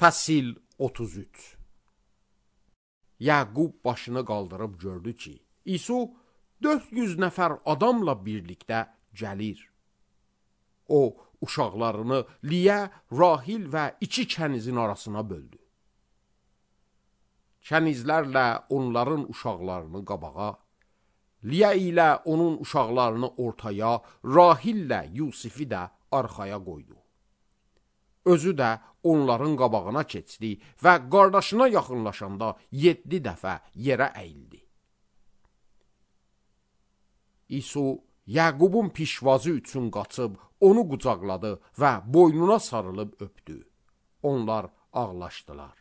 Fəsil 33. Yaqub başını qaldırıb gördü ki, İsu 400 nəfər adamla birlikdə gəlir. O, uşaqlarını Liyə, Rahil və 2 kənizin arasına böldü. Kənizlərlə onların uşaqlarını qabağa, Liyə ilə onun uşaqlarını ortaya, Rahillə Yusifi də arxaya qoydu. Özü də onların qabağına keçdi və qardaşına yaxınlaşanda 7 dəfə yerə əyildi. İsu Yaqubun pişvazı üçün qaçıb onu qucaqladı və boynuna sarılıb öpdü. Onlar ağlaşdılar.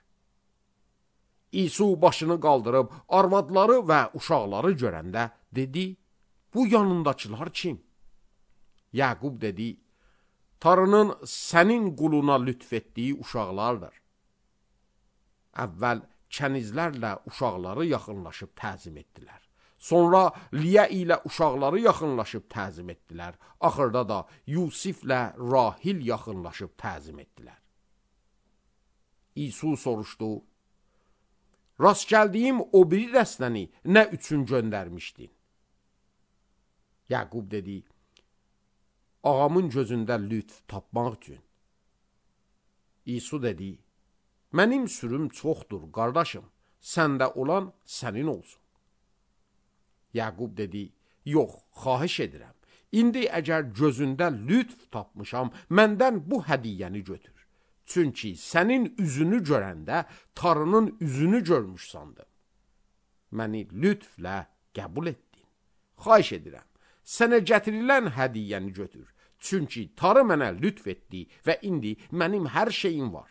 İsu başını qaldırıb arvadları və uşaqları görəndə dedi, bu yanındakılar kim? Yaqub dedi, Tanrının sənin quluna lütf etdiyi uşaqlardır. Əvvəl kənizlərlə uşaqları yaxınlaşıb təzim etdilər. Sonra Liyə ilə uşaqları yaxınlaşıb təzim etdilər. Axırda da Yusiflə Rahil yaxınlaşıb təzim etdilər. İsu soruşdu, rast gəldiyim o biri dəstəni nə üçün göndərmişdin? Yaqub dedi, ağamın gözündə lütf tapmaq üçün. İsu dedi, mənim sürüm çoxdur, qardaşım, səndə olan sənin olsun. Yaqub dedi, yox, xahiş edirəm. İndi əgər gözündə lütf tapmışam, məndən bu hədiyyəni götür. Çünki sənin üzünü görəndə Tanrının üzünü görmüş sandım. Məni lütflə qəbul etdin. Xahiş edirəm, sənə gətirilən hədiyyəni götür. Çünki Tanrı mənə lütf etdi və indi mənim hər şeyim var.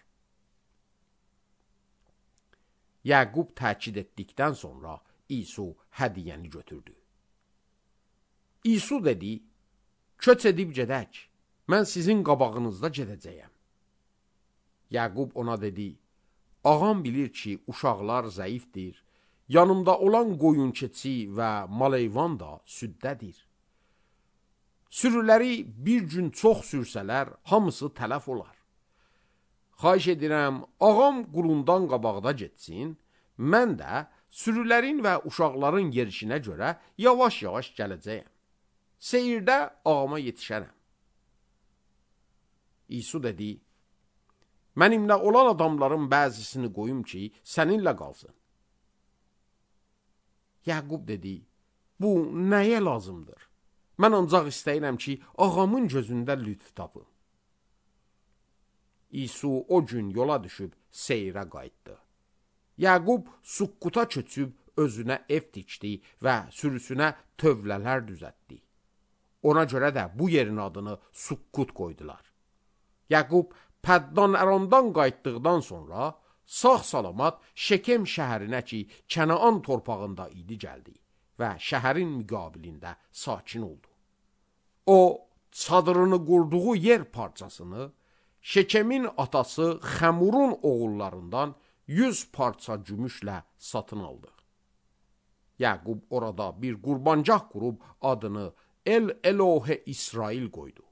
Yaqub təkid etdikdən sonra İsu hədiyyəni götürdü. İsu dedi, köç edib gedək, mən sizin qabağınızda gedəcəyəm. Yaqub ona dedi, ağam bilir ki, uşaqlar zəifdir, yanımda olan qoyun keçi və maleyvan da süddədir. Sürüləri bir gün çox sürsələr, hamısı tələf olar. Xahiş edirəm, ağam qulundan qabaqda getsin, mən də sürülərin və uşaqların yerişinə görə yavaş-yavaş gələcəyəm. Seyirdə ağama yetişərəm. İsu dedi, mənimlə olan adamların bəzisini qoyum ki, səninlə qalsın. Yaqub dedi, bu nəyə lazımdır? Mən ancaq istəyirəm ki, ağamın gözündə lütf tapım. İsu o gün yola düşüb seyrə qayıtdı. Yaqub Sukkuta köçüb özünə ev tikdi və sürüsünə tövlələr düzəltdi. Ona görə də bu yerin adını Sukkut qoydular. Yaqub Pəddan Əramdan qayıtdıqdan sonra sağ-salamat Şekem şəhərinə ki, Kənaan torpağında idi gəldi və şəhərin müqabilində sakin oldu. O, çadırını qurduğu yer parçasını Şekemin atası Xəmurun oğullarından 100 parça gümüşlə satın aldı. Yaqub orada bir qurbancaq qurub adını El Elohe İsrail qoydu.